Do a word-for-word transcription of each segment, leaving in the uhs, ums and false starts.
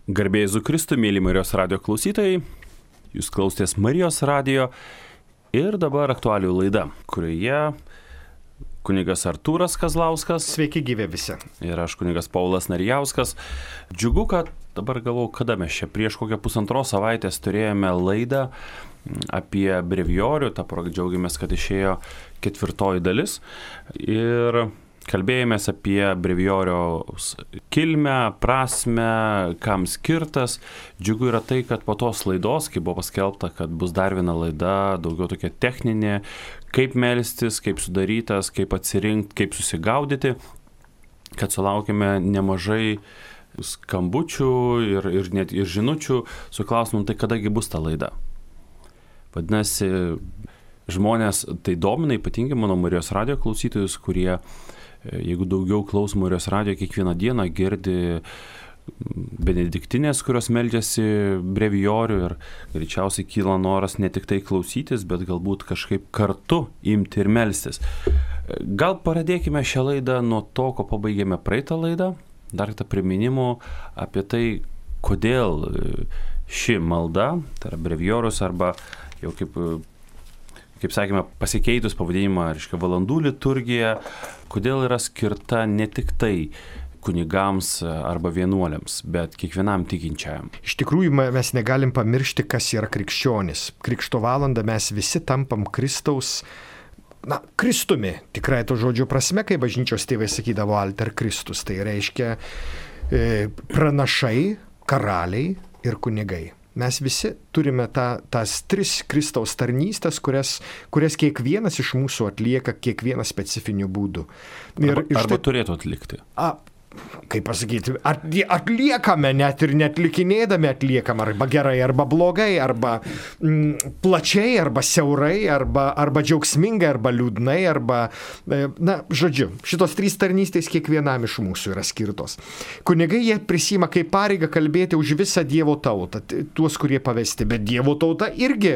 Garbė Jėzui Kristui, mėly Marijos radijo klausytojai, jūs klausėtės Marijos radijo ir dabar aktualijų laida, kurioje kunigas Artūras Kazlauskas. Sveiki gyvi visi. Ir aš kunigas Paulas Narijauskas. Džiugu, kad dabar galvoju, kada mes čia prieš kokią pusantros savaitės turėjome laidą apie brevijorių, tą progą džiaugiamės, kad išėjo ketvirtoji dalis. Ir kalbėjomės apie brevijoriaus kilmę, prasmę, kam skirtas. Džiugu yra tai, kad po tos laidos, kai buvo paskelbta, kad bus dar viena laida, daugiau tokia techninė, kaip melstis, kaip sudarytas, kaip atsirinkti, kaip susigaudyti, kad sulaukime nemažai skambučių ir, ir net ir žinučių su klausimu, tai kadagi bus ta laida. Vadinasi, žmonės tai domina, ypatingai mano Marijos radijo klausytojus, kurie jeigu daugiau klauso Marijos radijo, kiekvieną dieną girdi benediktinės, kurios meldžiasi brevijorių ir greičiausiai kyla noras ne tik tai klausytis, bet galbūt kažkaip kartu imti ir melstis. Gal pradėkime šią laidą nuo to, ko pabaigėme praeitą laidą, dar tą priminimų apie tai, kodėl ši malda, tai yra brevijorius arba jau kaip kaip sakėme, pasikeitus pavadinimą, reiškia, valandų liturgija, kodėl yra skirta ne tik tai kunigams arba vienuoliams, bet kiekvienam tikinčiajam. Iš tikrųjų, mes negalim pamiršti, kas yra krikščionis. Krikšto valandą mes visi tampam Kristaus, na, Kristumi, tikrai to žodžio prasme, kai bažnyčios tėvai sakydavo alter Kristus. Tai reiškia e, pranašai, karaliai ir kunigai. Mes visi turime tą, tas tris Kristaus tarnystės, kurias, kurias kiekvienas iš mūsų atlieka kiekvieną specifiniu būdu. Ir, arba arba štai, turėtų atlikti. A, kaip pasakyti, atliekame net ir netlikinėdami atliekam arba gerai, arba blogai, arba mm, plačiai, arba siaurai, arba, arba džiaugsmingai, arba liūdnai, arba, na, žodžiu, šitos trys tarnystės kiekvienam iš mūsų yra skirtos. Kunigai jie prisima kaip pareigą kalbėti už visą Dievo tautą, tuos, kurie pavesti, bet Dievo tauta irgi,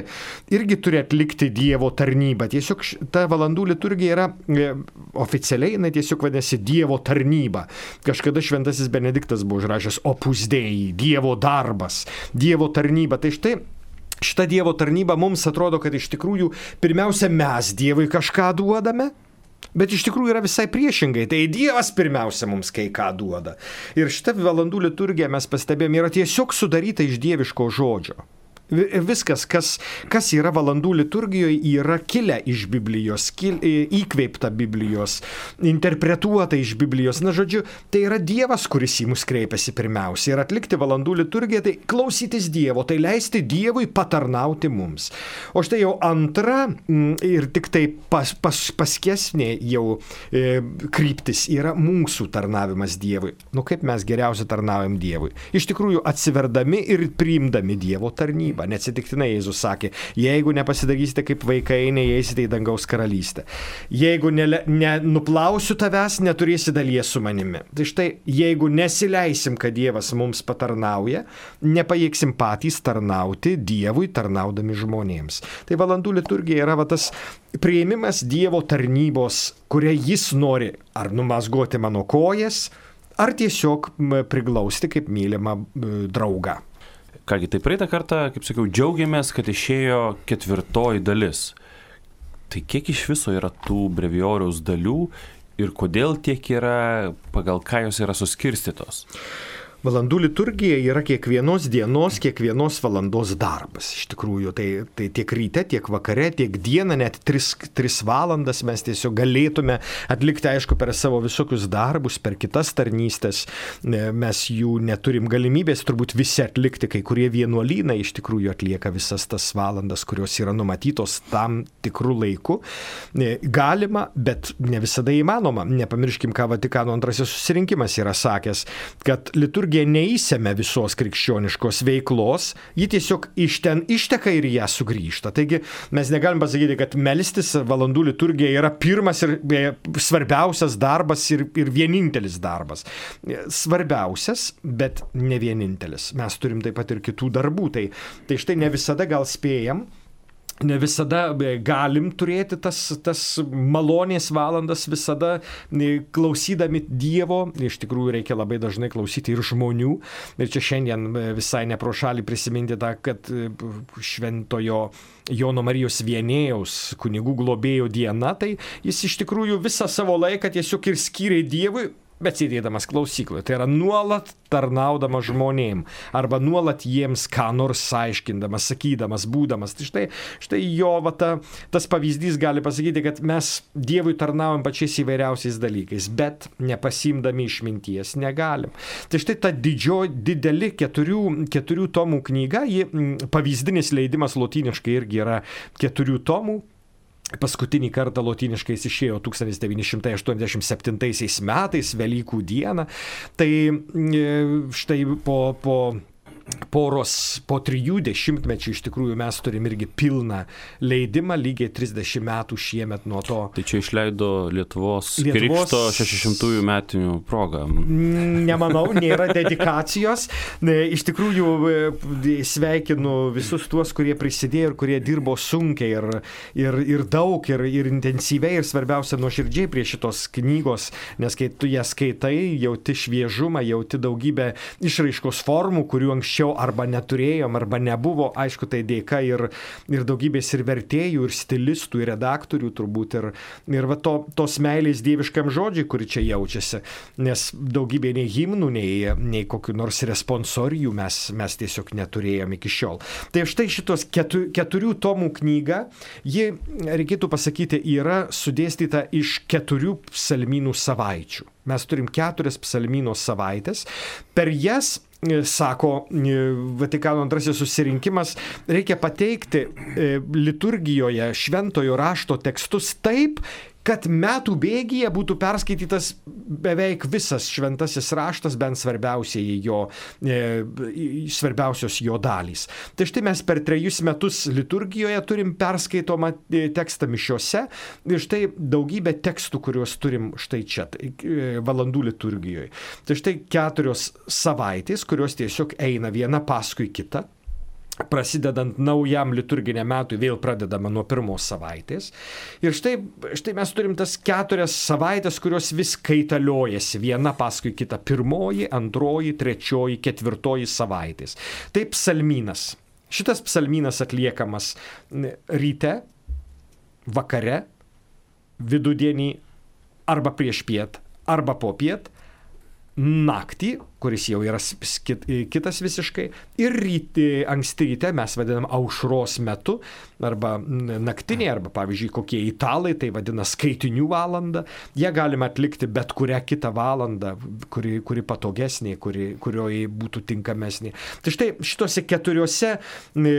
irgi turi atlikti Dievo tarnybą. Tiesiog ta valandų liturgija yra e, oficialiai, na, tiesiog vadinasi Dievo tarnyba. Kažkada šventasis Benediktas buvo užrašęs opus dei, Dievo darbas, Dievo tarnyba. Tai štai šita Dievo tarnyba mums atrodo, kad iš tikrųjų pirmiausia mes Dievui kažką duodame, bet iš tikrųjų yra visai priešingai. Tai Dievas pirmiausia mums kai ką duoda. Ir šita valandų liturgija, mes pastebėjome, yra tiesiog sudaryta iš dieviško žodžio. Viskas, kas, kas yra valandų liturgijoje, yra kilę iš Biblijos, kil, įkveipta Biblijos, interpretuota iš Biblijos. Na, žodžiu, tai yra Dievas, kuris į mus kreipiasi pirmiausia. Ir atlikti valandų liturgiją, tai klausytis Dievo, tai leisti Dievui patarnauti mums. O štai jau antra ir tik tai pas, pas, paskesnė jau e, kryptis yra mūsų tarnavimas Dievui. Nu, kaip mes geriausiai tarnaujam Dievui? Iš tikrųjų, atsiverdami ir priimdami Dievo tarnybą. Neatsitiktinai Jėzus sakė, jeigu nepasidarysite kaip vaikai, neįeisite į dangaus karalystę. Jeigu nenuplausiu ne, tavęs, neturėsi dalies su manimi. Tai štai, jeigu nesileisim, kad Dievas mums patarnauja, nepajėgsim patys tarnauti Dievui, tarnaudami žmonėms. Tai valandų liturgija yra va, tas priėmimas Dievo tarnybos, kurią jis nori ar numazgoti mano kojas, ar tiesiog priglausti kaip mylimą draugą. Kągi, tai praeitą kartą, kaip sakiau, džiaugiamės, kad išėjo ketvirtoji dalis. Tai kiek iš viso yra tų brevijoriaus dalių ir kodėl tiek yra, pagal ką jos yra suskirstytos? Valandų liturgija yra kiekvienos dienos, kiekvienos valandos darbas. Iš tikrųjų, tai, tai tiek ryte, tiek vakare, tiek dieną, net tris, tris valandas mes tiesiog galėtume atlikti, aišku, per savo visokius darbus, per kitas tarnystės. Mes jų neturim galimybės turbūt visi atlikti, kai kurie vienuolynai iš tikrųjų atlieka visas tas valandas, kurios yra numatytos tam tikrų laikų. Galima, bet ne visada įmanoma. Nepamirškim, ką Vatikano antrasis susirinkimas yra sakęs, kad liturgija neįsėmė visos krikščioniškos veiklos, ji tiesiog iš ten išteka ir ją sugrįžta. Taigi mes negalim pasakyti, kad melstis valandų liturgija yra pirmas ir svarbiausias darbas ir, ir vienintelis darbas. Svarbiausias, bet ne vienintelis. Mes turim taip pat ir kitų darbų. Tai, tai štai ne visada gal spėjam ne visada galim turėti tas, tas malonės valandas, visada klausydami Dievo, iš tikrųjų reikia labai dažnai klausyti ir žmonių. Ir čia šiandien visai ne pro šalį prisiminti tą, kad šventojo Jono Marijos Vienėjaus kunigų globėjo diena, tai jis iš tikrųjų visą savo laiką tiesiog ir skyrė Dievui, bet sėdėdamas klausykloje. Tai yra nuolat tarnaudamas žmonėm, arba nuolat jiems ką nors aiškindamas, sakydamas, būdamas. Tai štai, štai jo va, ta, tas pavyzdys gali pasakyti, kad mes Dievui tarnaujam pačiais įvairiausiais dalykais, bet nepasimdami išminties negalim. Tai štai ta didžio, dideli keturių, keturių tomų knyga, ji, pavyzdinis leidimas lotyniškai irgi yra keturių tomų. Paskutinį kartą lotyniškai jis išėjo tūkstantis devyni šimtai aštuoniasdešimt septintaisiais metais, Velykų dieną. Tai štai po, po poros, po trijų dešimtmečių iš tikrųjų mes turim irgi pilną leidimą, lygiai trisdešimt metų šiemet nuo to. Tai čia išleido Lietuvos, Lietuvos... Krikšto šešiasdešimtųjų metinių progą. Nemanau, nėra dedikacijos. Iš tikrųjų sveikinu visus tuos, kurie prisidėjo ir kurie dirbo sunkiai ir, ir, ir daug, ir, ir intensyviai, ir svarbiausia nuoširdžiai prie šitos knygos, nes kai tu ją skaitai, jauti šviežumą, jauti daugybę išraiškos formų, kurių anksčiau arba neturėjom, arba nebuvo, aišku, tai dėka ir, ir daugybės ir vertėjų, ir stilistų, ir redaktorių turbūt, ir, ir va to, tos meilės dieviškam žodžiui, kuri čia jaučiasi, nes daugybė nei himnų, nei, nei kokių nors responsorijų mes, mes tiesiog neturėjom iki šiol. Tai štai šitos ketu, keturių tomų knyga, ji, reikėtų pasakyti, yra sudėstyta iš keturių psalmynų savaičių. Mes turim keturias psalmyno savaitės, per jas, sako Vatikano antrasis susirinkimas, reikia pateikti liturgijoje šventojo rašto tekstus taip, kad metų bėgyje būtų perskaitytas beveik visas šventasis raštas, bent svarbiausiai jo, e, svarbiausios jo dalys. Tai štai mes per trejus metus liturgijoje turim perskaitomą tekstą mišiose ir štai daugybę tekstų, kuriuos turim štai čia, tai, e, valandų liturgijoje. Tai štai keturios savaitės, kurios tiesiog eina viena paskui kitą. Prasidedant naujam liturginiam metui, vėl pradedama nuo pirmos savaitės. Ir štai, štai mes turim tas keturias savaitės, kurios vis kaitaliojasi viena paskui kitą. Pirmoji, antroji, trečioji, ketvirtoji savaitės. Tai psalmynas. Šitas psalmynas atliekamas ryte, vakare, vidudienį, arba priešpiet, arba popiet, naktį, kuris jau yra kitas visiškai, ir ryti, anksti ryte mes vadinam aušros metu, arba naktinė, arba pavyzdžiui kokie italai tai vadina skaitinių valandą. Jie galima atlikti bet kurią kitą valandą, kuri, kuri patogesnė, kuri, kurioje būtų tinkamesnė. Tai štai šitose keturiose,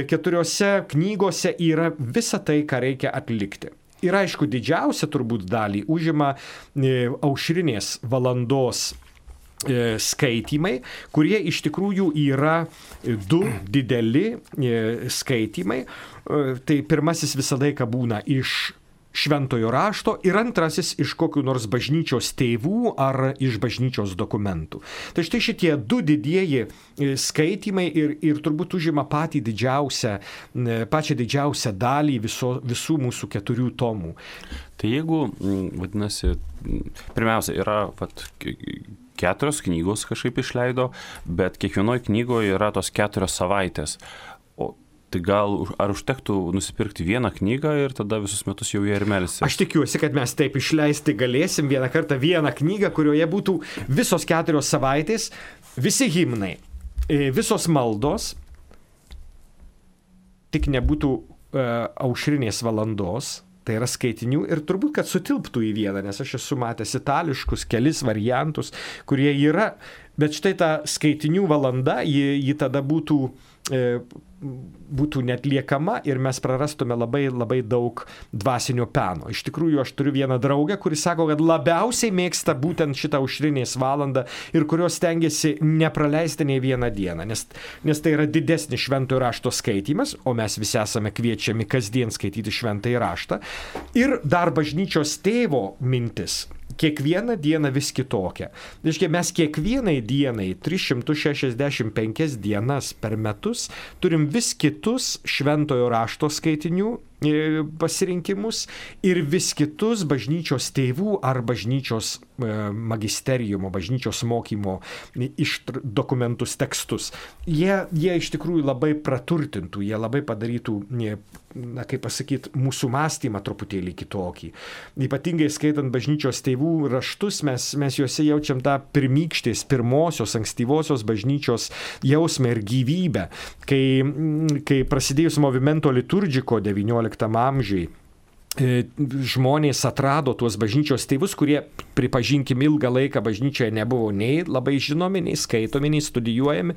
keturiose knygose yra visa tai, ką reikia atlikti. Ir aišku, didžiausia turbūt dalį užima aušrinės valandos skaitymai, kurie iš tikrųjų yra du dideli skaitymai. Tai pirmasis visą laiką būna iš šventojo rašto ir antrasis iš kokių nors bažnyčios tėvų ar iš bažnyčios dokumentų. Tai štai šitie du didieji skaitymai ir, ir turbūt užima patį didžiausią, pačią didžiausią dalį viso, visų mūsų keturių tomų. Tai jeigu, vadinasi, pirmiausia, yra vat, keturios knygos kažkaip išleido, bet kiekvienoje knygoje yra tos keturios savaitės. O tai gal ar užtektų nusipirkti vieną knygą ir tada visus metus jau jie ir melsis? Aš tikiuosi, kad mes taip išleisti galėsim vieną kartą vieną knygą, kurioje būtų visos keturios savaitės, visi himnai, visos maldos, tik nebūtų uh, aušrinės valandos. Tai yra skaitinių ir turbūt, kad sutilptų į vieną, nes aš esu matęs itališkus kelis variantus, kurie yra, bet štai ta skaitinių valanda, ji, ji tada būtų, e, būtų netliekama ir mes prarastume labai, labai daug dvasinio peno. Iš tikrųjų, aš turiu vieną draugę, kuris sako, kad labiausiai mėgsta būtent šitą aušrinės valandą ir kurios stengiasi nepraleisti nei vieną dieną, nes, nes tai yra didesnis šventojo rašto skaitymas, o mes visi esame kviečiami kasdien skaityti šventąjį raštą. Ir dar bažnyčios tėvo mintis. Kiekvieną dieną vis kitokia. Reiškia, mes kiekvienai dienai, tris šimtus šešiasdešimt penkias dienas per metus, turim vis kitus šventojo rašto skaitinių pasirinkimus ir vis kitus bažnyčios tėvų ar bažnyčios magisteriumo, bažnyčios mokymo iš dokumentus, tekstus. Jie, jie iš tikrųjų labai praturtintų, jie labai padarytų, na, kaip pasakyti, mūsų mąstymą truputėlį kitokį. Ypatingai skaitant bažnyčios tėvų raštus, mes, mes juose jaučiam tą pirmykštės, pirmosios, ankstyvosios bažnyčios jausmą ir gyvybę. Kai, kai prasidėjus movimento liturgiko devynioliktam amžiui, žmonės atrado tuos bažnyčios tėvus, kurie, pripažinkim, ilgą laiką bažnyčioje nebuvo nei labai žinomi, nei skaitomi, nei studijuojami.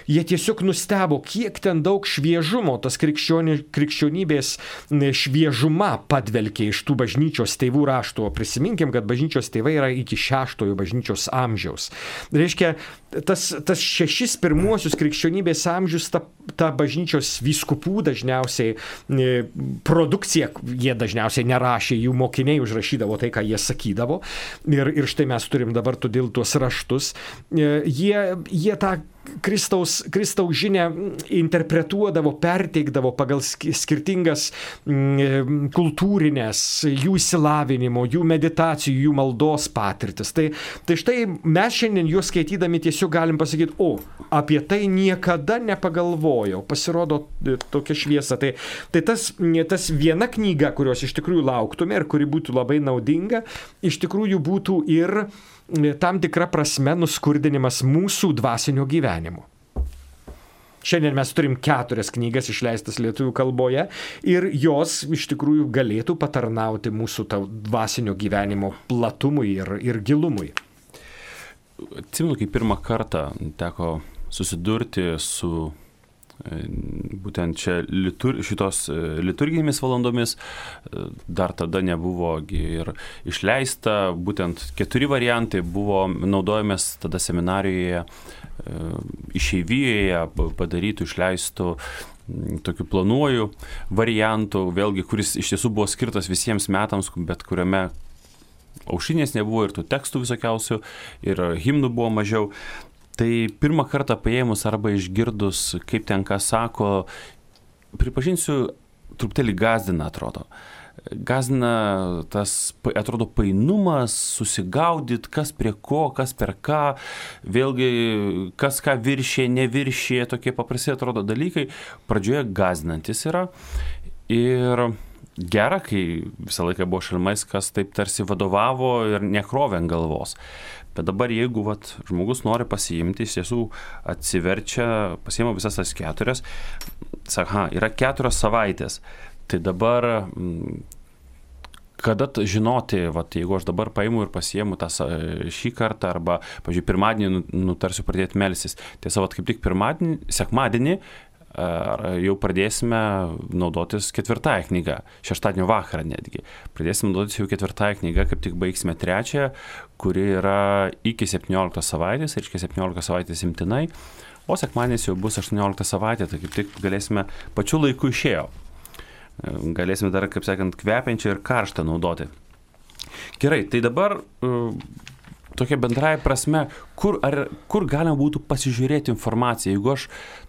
Jie tiesiog nustebo, kiek ten daug šviežumo, tas krikščioni, krikščionybės šviežuma padvelkė iš tų bažnyčios tėvų raštų. Prisiminkim, kad bažnyčios tėvai yra iki šeštojo bažnyčios amžiaus. Reiškia, tas, tas šešis pirmuosius krikščionybės amžius, ta, ta bažnyčios vyskupų dažniausiai produkcija, jie dažniausiai nerašė, jų mokiniai užrašydavo tai, ką jie sakydavo. Ir, ir štai mes turim dabar todėl tuos raštus. Jie, jie tą Kristaus, Kristaus žinę interpretuodavo, perteikdavo pagal skirtingas kultūrinės, jų išsilavinimo, jų meditacijų, jų maldos patirtis. Tai, tai štai mes šiandien juos skaitydami tiesiog galim pasakyti, o, apie tai niekada nepagalvojau, pasirodo tokia šviesa. Tai, tai tas, tas viena knyga, kurios iš tikrųjų lauktume ir kuri būtų labai naudinga, iš tikrųjų būtų ir tam tikra prasme nuskurdinimas mūsų dvasinio gyvenimo. Šiandien mes turim keturias knygas išleistas lietuvių kalboje ir jos iš tikrųjų galėtų patarnauti mūsų dvasinio gyvenimo platumui ir, ir gilumui. Atsimenu, kai pirmą kartą teko susidurti su būtent čia litur, šitos liturginėmis valandomis, dar tada nebuvo ir išleista, būtent keturi variantai buvo naudojamės tada seminarijoje, išeivijoje padarytų, išleistų tokiu planuoju variantu, vėlgi, kuris iš tiesų buvo skirtas visiems metams, bet kuriame aušinės nebuvo ir tų tekstų visokiausių, ir himnų buvo mažiau. Tai pirmą kartą paėmus arba išgirdus, kaip ten ką sako, pripažinsiu, truputėlį gazdina, atrodo. Gazdina tas, atrodo, painumas, susigaudyt, kas prie ko, kas per ką, vėlgi, kas ką viršė, neviršė, tokie paprasti, atrodo, dalykai. Pradžioje gazdinantis yra ir gera, kai visą laiką buvo Šalmais, kas taip tarsi vadovavo ir nekrovė ant galvos. Bet dabar, jeigu vat, žmogus nori pasiimti, iš tiesų atsiverčia, pasiima visas tas keturias, sako, ha, yra keturios savaitės. Tai dabar, kada žinoti, vat, jeigu aš dabar paimu ir pasiimu tą šį kartą, arba, pavyzdžiui, pirmadienį nutarsiu pradėti melstis. Tiesa, vat, kaip tik pirmadienį, sekmadienį, jau pradėsime naudotis ketvirtąją knygą, šeštadienio vakarą netgi. Pradėsime naudotis jau ketvirtąją knygą, kaip tik baigsime trečiąją, kuri yra iki septynioliktos savaitės, reiškia septynioliktos savaitės imtinai, o sekmadienis jau bus aštuoniolikta savaitė, tai kaip tik galėsime pačiu laiku išėjo. Galėsime dar, kaip sakant, kvepiančią ir karštą naudoti. Gerai, tai dabar tokia bendrai prasme, kur, ar, kur galima būtų pasižiūrėti informaciją, jeigu aš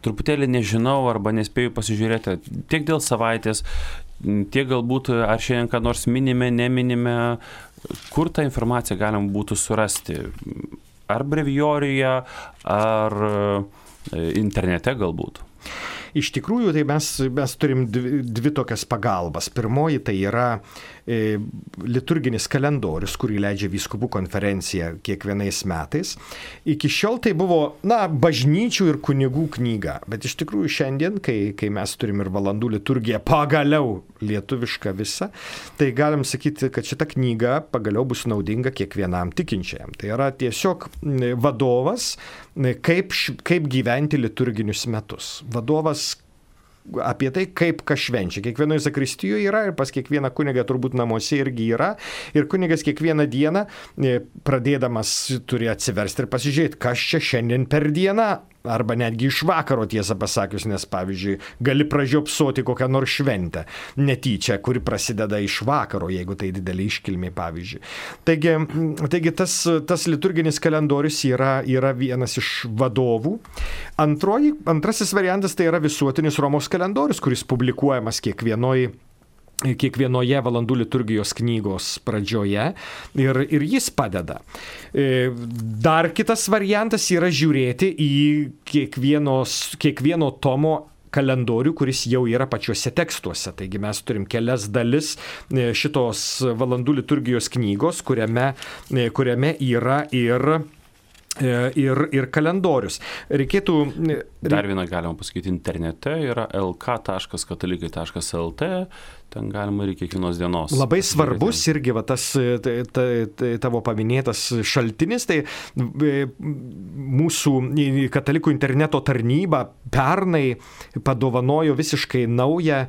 truputėlį nežinau arba nespėju pasižiūrėti tiek dėl savaitės, tiek galbūt ar šiandien ką nors minime, neminime, kur tą informaciją galima būtų surasti, ar brevijoriuje, ar internete galbūt. Iš tikrųjų, tai mes, mes turim dvi, dvi tokias pagalbas. Pirmoji tai yra e, liturginis kalendorius, kurį leidžia vyskupų konferencija kiekvienais metais. Iki šiol tai buvo, na, bažnyčių ir kunigų knyga, bet iš tikrųjų šiandien, kai, kai mes turim ir valandų liturgiją pagaliau lietuvišką visą, tai galim sakyti, kad šita knyga pagaliau bus naudinga kiekvienam tikinčiajam. Tai yra tiesiog vadovas, kaip, kaip gyventi liturginius metus. Vadovas apie tai, kaip kas švenčia. Kiekvienoje zakristijoje yra ir pas kiekvieną kunigą turbūt namuose irgi yra. Ir kunigas kiekvieną dieną pradėdamas turi atsiversti ir pasižiūrėti, kas čia šiandien per dieną. Arba netgi iš vakaro, tiesą pasakius, nes, pavyzdžiui, gali pražiopsoti kokią nors šventę netyčia, kuri prasideda iš vakaro, jeigu tai didelė iškilmė, pavyzdžiui. Taigi, taigi tas, tas liturginis kalendorius yra, yra vienas iš vadovų. Antroji, antrasis variantas tai yra visuotinis Romos kalendorius, kuris publikuojamas kiekvienoj kiekvienoje valandų liturgijos knygos pradžioje ir, ir jis padeda. Dar kitas variantas yra žiūrėti į kiekvienos, kiekvieno tomo kalendorių, kuris jau yra pačiuose tekstuose. Taigi mes turim kelias dalis šitos valandų liturgijos knygos, kuriame, kuriame yra ir Ir, ir kalendorius. Reikėtų... Dar vieną galima pasakyti internete, yra el ka taškas katalikai taškas el te, ten galima ir kiekvienos dienos. Labai svarbus irgi va, tas ta, ta, ta, tavo paminėtas šaltinis, tai mūsų katalikų interneto tarnyba pernai padovanojo visiškai naują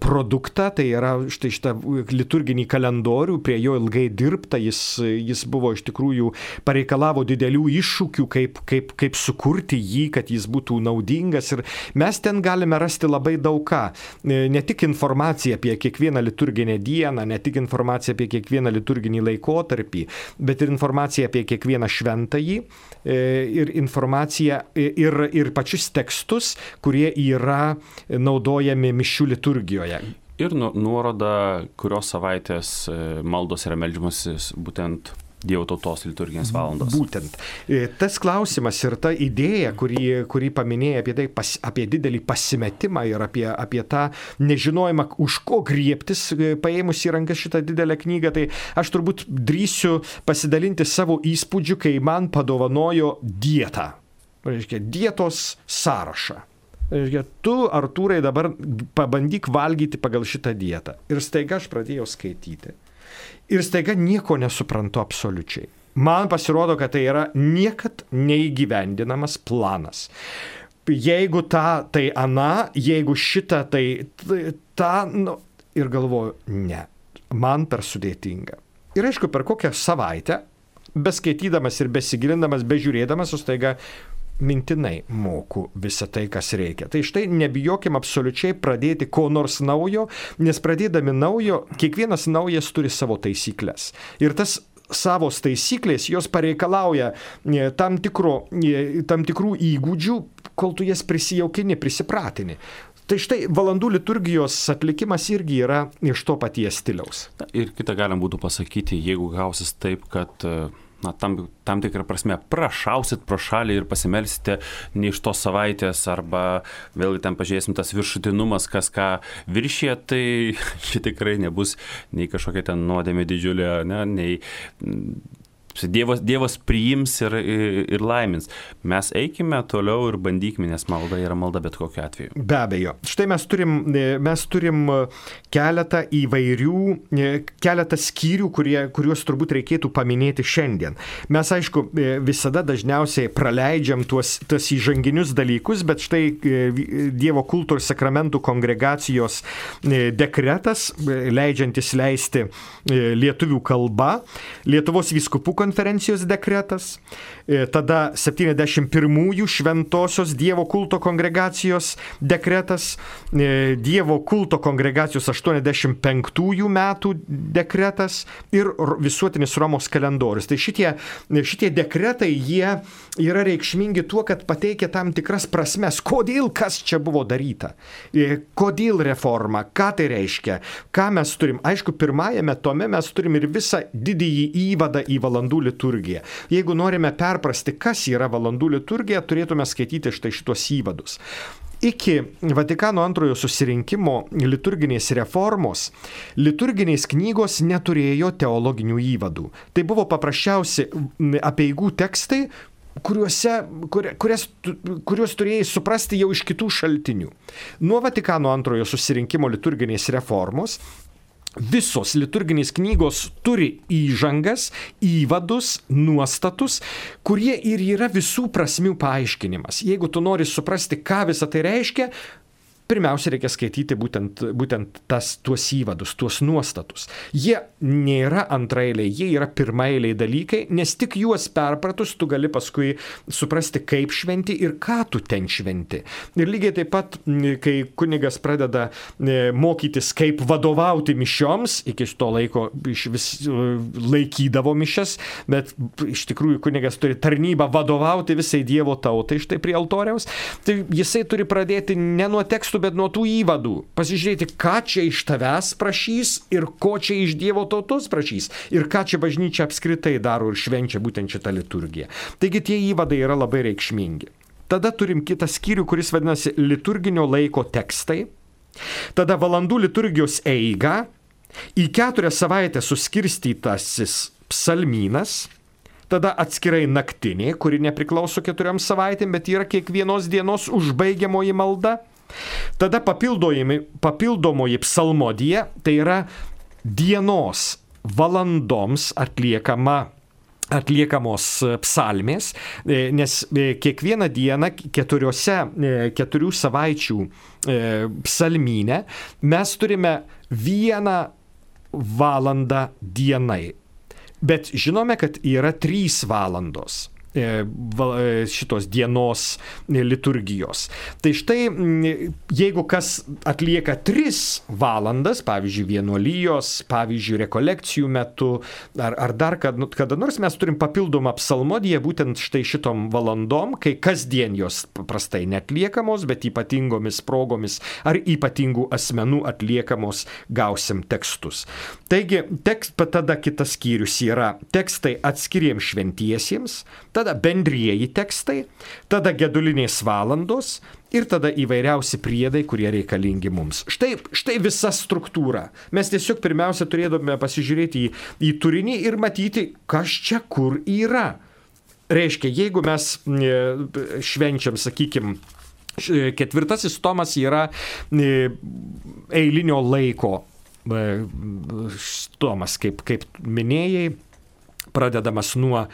produktą, tai yra štai šitą liturginį kalendorių, prie jo ilgai dirbta, jis, jis buvo iš tikrųjų pareikalavo didelių iššūkių, kaip, kaip, kaip sukurti jį, kad jis būtų naudingas ir mes ten galime rasti labai daug ką. Ne tik informaciją apie kiekvieną liturginę dieną, ne tik informaciją apie kiekvieną liturginį laikotarpį, bet ir informaciją apie kiekvieną šventąjį ir informaciją ir, ir pačius tekstus, kurie yra naudojami mišių liturgijoje. Ir nuoroda, kurios savaitės maldos yra meldžiamasis būtent Dievo tautos liturginės valandos. Būtent. Tas klausimas ir ta idėja, kurį, kurį paminėjai apie, tai, pas, apie didelį pasimetimą ir apie, apie tą nežinojimą, už ko griebtis, paėmus į rankas šitą didelę knygą, tai aš turbūt drįsiu pasidalinti savo įspūdžiu, kai man padovanojo dietą. Reiškia, dietos sąrašą. Reiškia, tu, Artūrai, dabar pabandyk valgyti pagal šitą dietą. Ir staiga aš pradėjau skaityti. Ir staiga nieko nesuprantu absoliučiai. Man pasirodo, kad tai yra niekad neįgyvendinamas planas. Jeigu tą, tai ana, jeigu šitą, tai tą, nu, ir galvoju, ne, man per sudėtinga. Ir aišku, per kokią savaitę, beskaitydamas ir besigilindamas, bežiūrėdamas, o staiga mintinai moku visą tai, kas reikia. Tai štai nebijokim absoliučiai pradėti ko nors naujo, nes pradėdami naujo, kiekvienas naujas turi savo taisyklės. Ir tas savos taisyklės, jos pareikalauja tam, tikro, tam tikrų įgūdžių, kol tu jas prisijaukini, prisipratini. Tai štai valandų liturgijos atlikimas irgi yra iš to paties stiliaus. Ir kitą galim būtų pasakyti, jeigu gausis taip, kad na, tam, tam tikrą prasme prašausit pro šalį ir pasimelsite ne iš tos savaitės, arba vėlgi ten pažiūrėsim tas viršutinumas, kas ką viršė, tai čia tikrai nebus nei kažkokia ten nuodėmė didžiulė, ne, nei Dievas, Dievas priims ir, ir, ir laimins. Mes eikime toliau ir bandykime, nes malda yra malda bet kokiu atveju. Be abejo. Štai mes turim, mes turim keletą įvairių, keletą skyrių, kurie, kuriuos turbūt reikėtų paminėti šiandien. Mes, aišku, visada dažniausiai praleidžiam tuos, tuos įžanginius dalykus, bet štai Dievo kulto ir sakramentų kongregacijos dekretas, leidžiantis leisti lietuvių kalba, Lietuvos vyskupų konferencijos dekretas, tada septyniasdešimt pirmųjų šventosios Dievo kulto kongregacijos dekretas, Dievo kulto kongregacijos aštuoniasdešimt penktųjų metų dekretas ir visuotinis Romos kalendorius. Tai šitie, šitie dekretai, jie yra reikšmingi tuo, kad pateikia tam tikras prasmes, kodėl kas čia buvo daryta, kodėl reforma, ką tai reiškia, ką mes turim. Aišku, pirmajame tome mes turim ir visą didįjį įvadą į valandų liturgiją. Jeigu norime perprasti, kas yra valandų liturgija, turėtume skaityti štai šitos įvadus. Iki Vatikano antrojo susirinkimo liturginės reformos liturginės knygos neturėjo teologinių įvadų. Tai buvo paprasčiausi apeigų tekstai, kuriuose, kur, kurias, kuriuos turėjai suprasti jau iš kitų šaltinių. Nuo Vatikano antrojo susirinkimo liturginės reformos visos liturginės knygos turi įžangas, įvadus, nuostatus, kurie ir yra visų prasmių paaiškinimas. Jeigu tu nori suprasti, ką visą tai reiškia, pirmiausia, reikia skaityti būtent, būtent tas, tuos įvadus, tuos nuostatus. Jie nėra antraeiliai, jie yra pirmaeiliai dalykai, nes tik juos perpratus tu gali paskui suprasti, kaip šventi ir ką tu ten šventi. Ir lygiai taip pat, kai kunigas pradeda mokytis, kaip vadovauti mišioms, iki to laiko iš vis laikydavo mišias, bet iš tikrųjų kunigas turi tarnybą vadovauti visai Dievo tautai štai prie altoriaus, tai jisai turi pradėti ne nuo tekstų, reikėtų, bet nuo tų įvadų pasižiūrėti, ką čia iš tavęs prašys ir ko čia iš Dievo tautos prašys ir ką čia bažnyčia apskritai daro ir švenčia būtent šitą liturgiją. Taigi tie įvadai yra labai reikšmingi. Tada turim kitą skyrių, kuris vadinasi liturginio laiko tekstai. Tada valandų liturgijos eiga, į keturias savaitės suskirstytasis psalmynas, tada atskirai naktinė, kuri nepriklauso keturioms savaitėm, bet yra kiekvienos dienos užbaigiamoji malda. Tada papildomoji psalmodija, tai yra dienos valandoms atliekama atliekamos psalmės, nes kiekvieną dieną keturiose, keturių savaičių psalmynę mes turime vieną valandą dienai. Bet žinome, kad yra trys valandos šitos dienos liturgijos. Tai štai, jeigu kas atlieka tris valandas, pavyzdžiui, vienuolijos, pavyzdžiui, rekolekcijų metu, ar, ar dar kada, kada nors mes turim papildomą psalmodiją, būtent štai šitom valandom, kai kasdien jos paprastai netliekamos, bet ypatingomis progomis ar ypatingų asmenų atliekamos gausim tekstus. Taigi, tekst, tada kitas skyrius yra tekstai atskiriems šventiesiems, tada bendrieji tekstai, tada gedulinės valandos ir tada įvairiausi priedai, kurie reikalingi mums. Štai, štai visa struktūra. Mes tiesiog pirmiausia turėtume pasižiūrėti į, į turinį ir matyti, kas čia kur yra. Reiškia, jeigu mes švenčiam, sakykime, ketvirtasis tomas yra eilinio laiko tomas, kaip, kaip minėjai, pradedamas nuo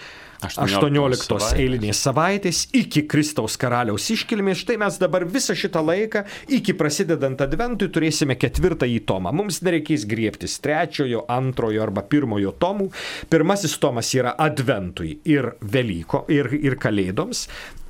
aštuonioliktos eilinės savaitės iki Kristaus karaliaus iškilmės. Štai mes dabar visą šitą laiką iki prasidedant adventui turėsime ketvirtąjį tomą. Mums nereikės griebtis trečiojo, antrojo arba pirmojo tomų. Pirmasis tomas yra adventui ir Velyko ir, ir Kalėdoms.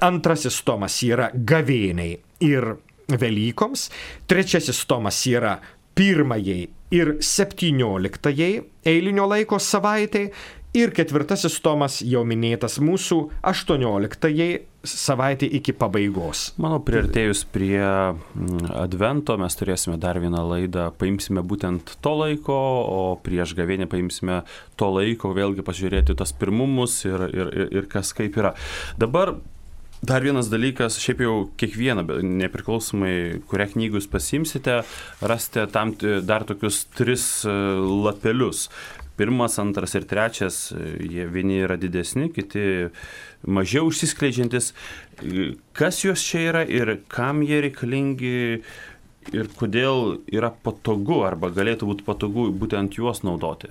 Antrasis tomas yra gavėniai ir Velykoms. Trečiasis tomas yra pirmajai ir septynioliktajai eilinio laiko savaitai. Ir ketvirtasis tomas jau minėtas mūsų aštuonioliktajai savaitė iki pabaigos. Manau, priartėjus prie advento mes turėsime dar vieną laidą, paimsime būtent to laiko, o prieš gavėnę paimsime to laiko, vėlgi pažiūrėti tas pirmumus ir, ir, ir, ir kas kaip yra. Dabar dar vienas dalykas, šiaip jau kiekvieną, nepriklausomai, kurią knygą jūs pasimsite, rasite tam dar tokius tris lapelius. Pirmas, antras ir trečias, jie vieni yra didesni, kiti mažiau užsiskleidžiantis. Kas juos čia yra ir kam jie reikalingi ir kodėl yra patogu arba galėtų būti patogu būtent juos naudoti?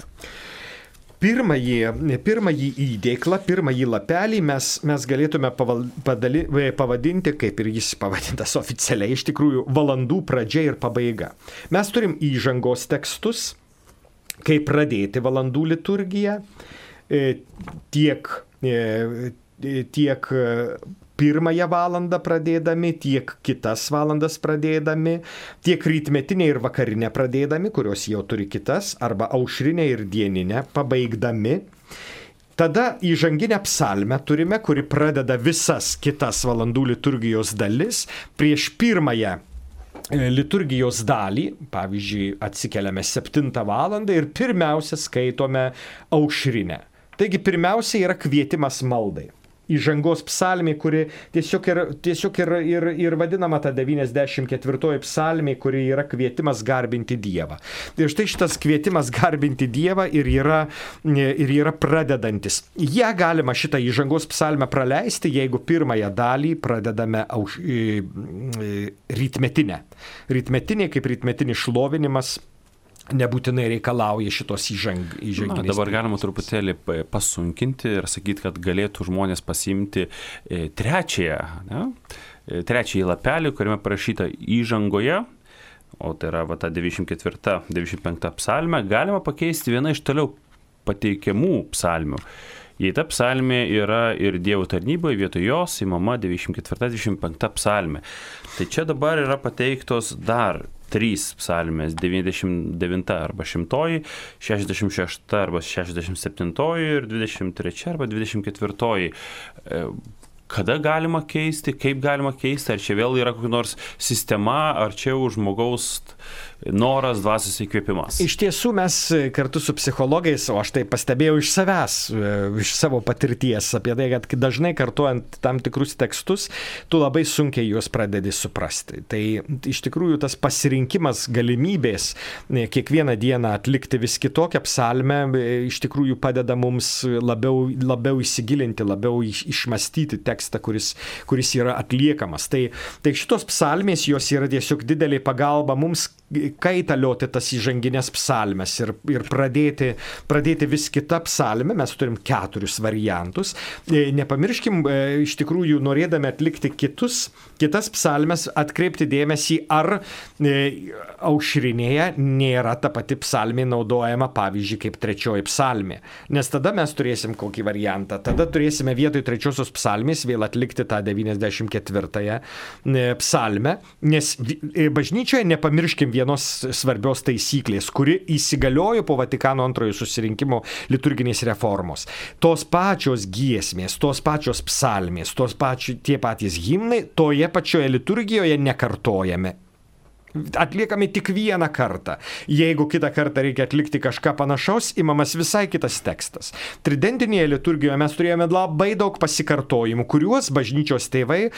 Pirmąjį, pirmąjį įdėklą, pirmąjį lapelį mes, mes galėtume paval, padali, pavadinti, kaip ir jis pavadintas oficialiai, iš tikrųjų, valandų pradžia ir pabaiga. Mes turim įžangos tekstus, kaip pradėti valandų liturgiją, tiek, tiek pirmąją valandą pradėdami, tiek kitas valandas pradėdami, tiek rytmetinę ir vakarinę pradėdami, kurios jau turi kitas, arba aušrinę ir dieninę pabaigdami. Tada įžanginę psalmę turime, kuri pradeda visas kitas valandų liturgijos dalis prieš pirmąją liturgijos dalį, pavyzdžiui, atsikeliame septintą valandą ir pirmiausia skaitome aušrinę. Taigi pirmiausia yra kvietimas maldai. Įžangos psalmė, kuri tiesiog ir, tiesiog ir, ir, ir vadinama ta devyniasdešimt ketvirtoji psalmė, kuri yra kvietimas garbinti Dievą. Ir štai šitas kvietimas garbinti Dievą ir yra, ir yra pradedantis. Ja galima šitą įžangos psalmę praleisti, jeigu pirmąją dalį pradedame auš, rytmetinę. Rytmetinė kaip rytmetinis šlovinimas nebūtinai reikalauja šitos įžang, įžanginės. Na, dabar galima truputėlį pasunkinti ir sakyti, kad galėtų žmonės pasiimti trečiąją, ne? trečiąjį lapelį, kuriame parašyta įžangoje, o tai yra va, ta devyniasdešimt ketvirta devyniasdešimt penkta psalmė, galima pakeisti vieną iš toliau pateikiamų psalmių. Jei ta psalmė yra ir Dievo tarnyboje, vietoj jos įmama devyniasdešimt ketvirta devyniasdešimt penkta psalmė. Tai čia dabar yra pateiktos dar trys psalmės, devyniasdešimt devinta arba šimtoji, šešiasdešimt šešta arba šešiasdešimt septintoji ir dvidešimt trečia arba dvidešimt ketvirtoji. kada galima keisti, kaip galima keisti, ar čia vėl yra kokia nors sistema, ar čia jau žmogaus noras, dvasios įkvėpimas. Iš tiesų mes kartu su psichologais, o aš tai pastebėjau iš savęs, iš savo patirties apie tai, kad dažnai kartuojant tam tikrus tekstus, tu labai sunkiai juos pradedi suprasti. Tai iš tikrųjų tas pasirinkimas galimybės kiekvieną dieną atlikti vis kitokią psalmę iš tikrųjų padeda mums labiau, labiau įsigilinti, labiau išmastyti tekstą, kuris, kuris yra atliekamas. Tai, tai šitos psalmės, jos yra tiesiog didelė pagalba mums kaitalioti tas įžanginės psalmes ir, ir pradėti, pradėti vis kitą psalmę. Mes turim keturius variantus. Nepamirškim, iš tikrųjų, norėdami atlikti kitus, kitas psalmes, atkreipti dėmesį, ar aušrinėje nėra ta pati psalmė naudojama, pavyzdžiui, kaip trečioji psalmė. Nes tada mes turėsim kokį variantą. Tada turėsime vietoj trečiosios psalmės vėl atlikti tą devyniasdešimt ketvirtąją psalmę, nes bažnyčioje nepamirškim vienos svarbios taisyklės, kuri įsigaliojo po Vatikano antrojo susirinkimo liturginės reformos. Tos pačios giesmės, tos pačios psalmės, tos pačios, tie patys himnai toje pačioje liturgijoje nekartojame. Atliekami tik vieną kartą. Jeigu kitą kartą reikia atlikti kažką panašaus, imamas visai kitas tekstas. Tridentinėje liturgijoje mes turėjome labai daug pasikartojimų, kuriuos bažnyčios tėvai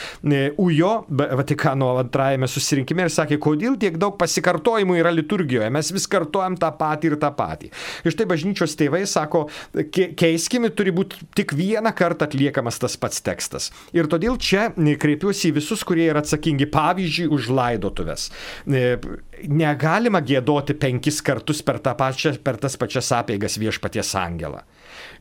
ujo Vatikano antrajame susirinkime ir sakė, kodėl tiek daug pasikartojimų yra liturgijoje, mes vis kartojam tą patį ir tą patį. Ir štai bažnyčios tėvai sako, keiskime, turi būti tik vieną kartą atliekamas tas pats tekstas. Ir todėl čia kreipiuosi į visus, kurie yra atsakingi, pavyzdžiui, už laidotuves. Negalima giedoti penkis kartus per, tą pačią, per tas pačias apeigas Viešpaties angelą.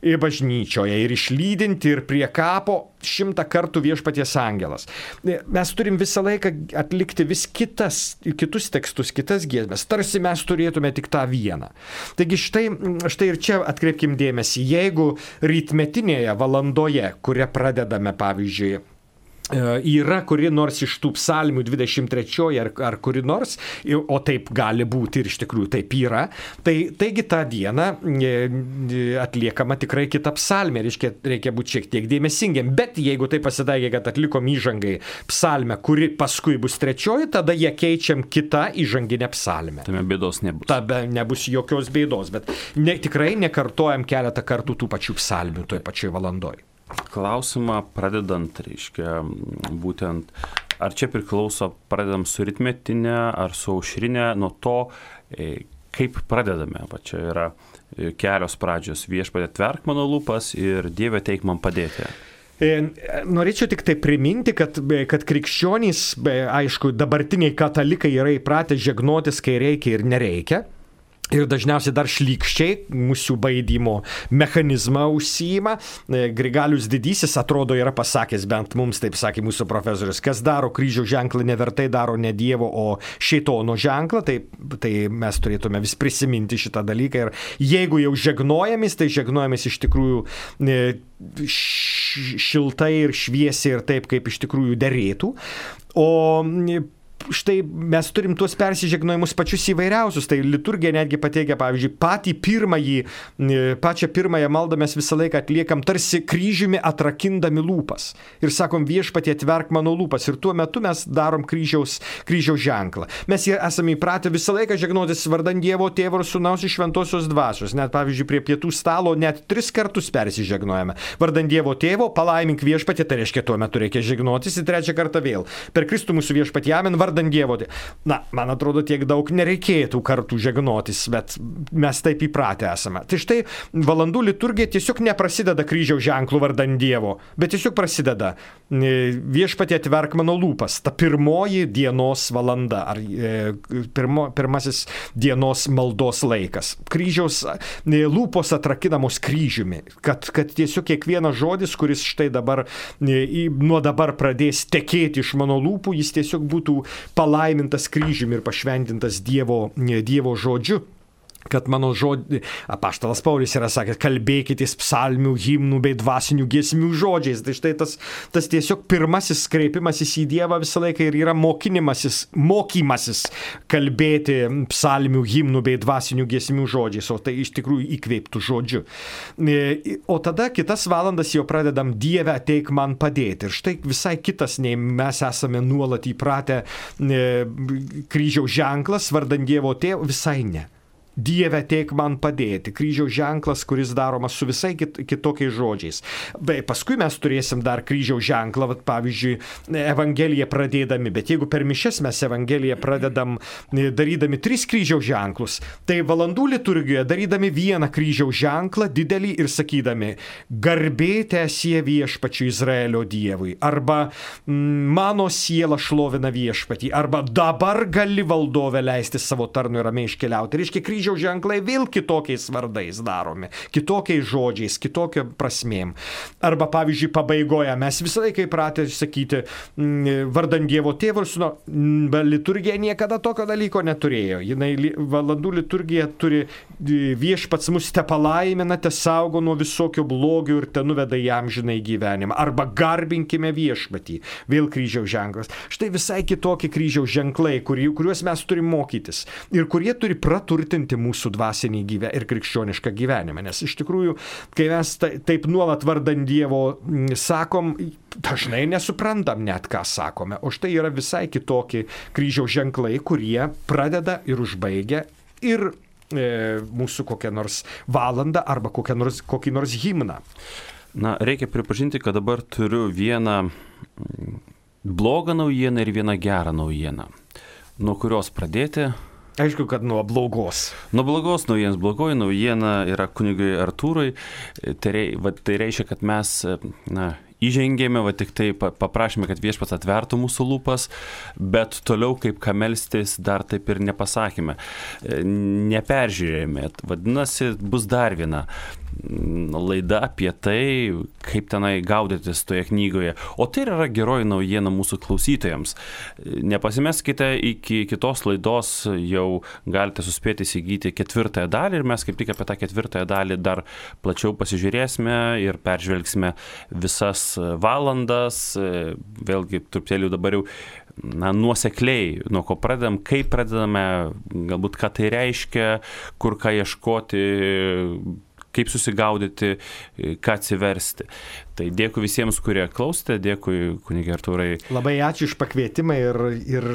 Ir bažnyčioje, ir išlydinti, ir prie kapo šimtą kartų Viešpaties angelas. Mes turim visą laiką atlikti vis kitas, kitus tekstus, kitas giesmes, tarsi mes turėtume tik tą vieną. Taigi štai, štai ir čia atkreipkim dėmesį, jeigu rytmetinėje valandoje, kurią pradedame, pavyzdžiui, yra kuri nors iš tų psalmių dvidešimt trečioji ar, ar kuri nors, o taip gali būti ir iš tikrųjų taip yra, tai taigi tą dieną atliekama tikrai kita psalmė, reiškia, reikia būti šiek tiek dėmesingiam, bet jeigu tai pasitaikė, kad atlikom įžangai psalmę, kuri paskui bus trečioji, tada ją keičiam kitą įžanginę psalmę. Tame bėdos nebus. Tada nebus jokios bėdos, bet ne, tikrai nekartojam keletą kartų tų pačių psalmių toj pačioj valandoj. Klausimą pradedant, reiškia, būtent, ar čia priklauso, pradedam su rytmetinė ar su aušrinė, nuo to, kaip pradedame. Va čia yra kelios pradžios, Viešpatie tverk mano lūpas ir Dieve teik man padėti. Norėčiau tik tai priminti, kad, kad krikščionys, aišku, dabartiniai katalikai yra įpratę žegnotis, kai reikia ir nereikia. Ir dažniausiai dar šlykščiai mūsų baidymo mechanizmą užsiima. Grigalius Didysis, atrodo, yra pasakęs, bent mums taip sakė mūsų profesorius, kas daro kryžiaus ženklą nevertai daro ne Dievo, o šėtono ženklą, tai, tai mes turėtume vis prisiminti šitą dalyką. Ir jeigu jau žegnojamis, tai žegnojamis iš tikrųjų šiltai ir šviesiai ir taip, kaip iš tikrųjų derėtų. O štai mes turim tuos persižegnojimus pačius įvairiausius. Tai liturgija netgi pateikia, pavyzdžiui, patį pirmąjį, pačią pirmąją maldą mes visą laiką atliekam tarsi kryžiumi atrakindami lūpas. Ir sakom, Viešpatie atverk mano lūpas. Ir tuo metu mes darom kryžiaus, kryžiaus ženklą. Mes esame įpratę visą laiką žegnotis vardan Dievo Tėvo ir Sūnaus ir Šventosios Dvasios. Net, pavyzdžiui, prie pietų stalo net tris kartus persižegnojame. Vardan Dievo Tėvo, palaimink Viešpatie, tai reiškia, tuo metu reikia žegnotis ir trečią kartą vėl. Per Kristų mūsų Viešpatie, amen, vardan Dievo. Na, man atrodo, tiek daug nereikėtų kartų žegnotis, bet mes taip įpratę esame. Tai štai valandų liturgija tiesiog neprasideda kryžiaus ženklų vardan Dievo, bet tiesiog prasideda Viešpatie atverk mano lūpas, ta pirmoji dienos valanda, ar pirmo, pirmasis dienos maldos laikas. Kryžiaus lūpos atrakinamos kryžiumi, kad, kad tiesiog kiekvienas žodis, kuris štai dabar, nuo dabar pradės tekėti iš mano lūpų, jis tiesiog būtų palaimintas kryžiumi ir pašventintas Dievo, Dievo žodžiu. kad mano žodžiai, apaštalas Paulius yra sakęs, kalbėkitės psalmių, himnų bei dvasinių giesmių žodžiais. Tai štai tas, tas tiesiog pirmasis kreipimasis į Dievą visą laiką ir yra mokinimasis, mokymasis kalbėti psalmių, himnų bei dvasinių giesmių žodžiais, o tai iš tikrųjų įkveiptų žodžiu. O tada kitas valandas jau pradedam Dieve ateik man padėti. Ir štai visai kitas, nei mes esame nuolat įpratę kryžiaus ženklas, vardan Dievo tėvo, visai ne. Dieve ateik man padėti. Kryžiaus ženklas, kuris daromas su visai kit, kitokiais žodžiais. Bei paskui mes turėsim dar kryžiaus ženklą, vat, pavyzdžiui, Evangeliją pradėdami, bet jeigu per mišias mes Evangeliją pradedam darydami tris kryžiaus ženklus, tai valandų liturgijoje darydami vieną kryžiaus ženklą didelį ir sakydami garbė teesie viešpačiui Izraelio Dievui, arba mano siela šlovina viešpatį, arba dabar gali valdove leisti savo tarnui ramiai iškeliauti. Reiškia, kryžiaus ženklai vėl kitokiais vardais daromi, kitokiais žodžiais, kitokia prasmėm. Arba, pavyzdžiui, pabaigoje mes visą laiką įpratę sakyti vardan Dievo tėvo ir sūnaus, bet liturgija niekada tokio dalyko neturėjo. Jinai valandų liturgija turi viešpats mus te palaimina, te saugo nuo visokio blogio ir te nuveda į amžinąjį gyvenimą. Arba garbinkime viešpatį, vėl kryžiaus ženklas. Štai visai kitokie kryžiaus ženklai, kuriuos mes turim mokytis ir kurie turi praturtinti mūsų dvasinį gyvenimą ir krikščionišką gyvenimą. Nes iš tikrųjų, kai mes taip nuolat vardan Dievo sakom, dažnai nesuprantam net, ką sakome. O štai yra visai kitokie kryžiaus ženklai, kurie pradeda ir užbaigia ir e, mūsų kokią nors valandą arba kokią nors, kokį nors himną. Na, reikia pripažinti, kad dabar turiu vieną blogą naujieną ir vieną gerą naujieną. Nuo kurios pradėti? Aišku, kad nuo blogos. Nuo blogos naujienos. Blogoji naujiena yra kunigui Artūrui. Tai, rei, va, tai reiškia, kad mes na, įžengėme, va tik tai paprašėme, kad viešpats atvertų mūsų lūpas, bet toliau kaip ką melstis dar taip ir nepasakėme. Neperžiūrėjome. Vadinasi, bus dar viena laida apie tai, kaip tenai gaudytis toje knygoje. O tai yra geroji naujiena mūsų klausytojams. Nepasimeskite, iki kitos laidos jau galite suspėti įsigyti ketvirtąją dalį ir mes kaip tik apie tą ketvirtąją dalį dar plačiau pasižiūrėsime ir peržvelgsime visas valandas. Vėlgi, truputėlį dabar jau na, nuosekliai, nuo ko pradedam, kaip pradedame, galbūt ką tai reiškia, kur ką ieškoti, kaip susigaudyti, ką atsiversti. Tai dėkui visiems, kurie klausėte, dėkui kunige Artūrai. Labai ačiū iš pakvietimą ir, ir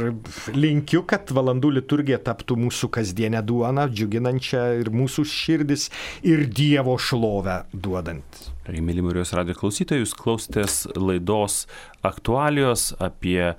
linkiu, kad valandų liturgija taptų mūsų kasdienę duoną, džiuginančią ir mūsų širdis ir Dievo šlovę duodant. Mėly Marijos radijo klausytojai, jūs klausėtės laidos aktualijos apie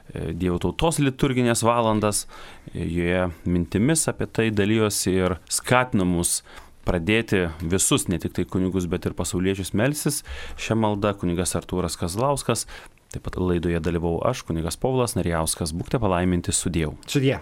Dievo tautos liturginės valandas. Joje mintimis apie tai dalyjosi ir skatino mus pradėti visus, ne tik tai kunigus, bet ir pasauliečius melsis. Šią maldą kunigas Artūras Kazlauskas, taip pat laidoje dalyvau aš, kunigas Povilas Narijauskas. Būkite palaiminti su Dievu. Su Dievu.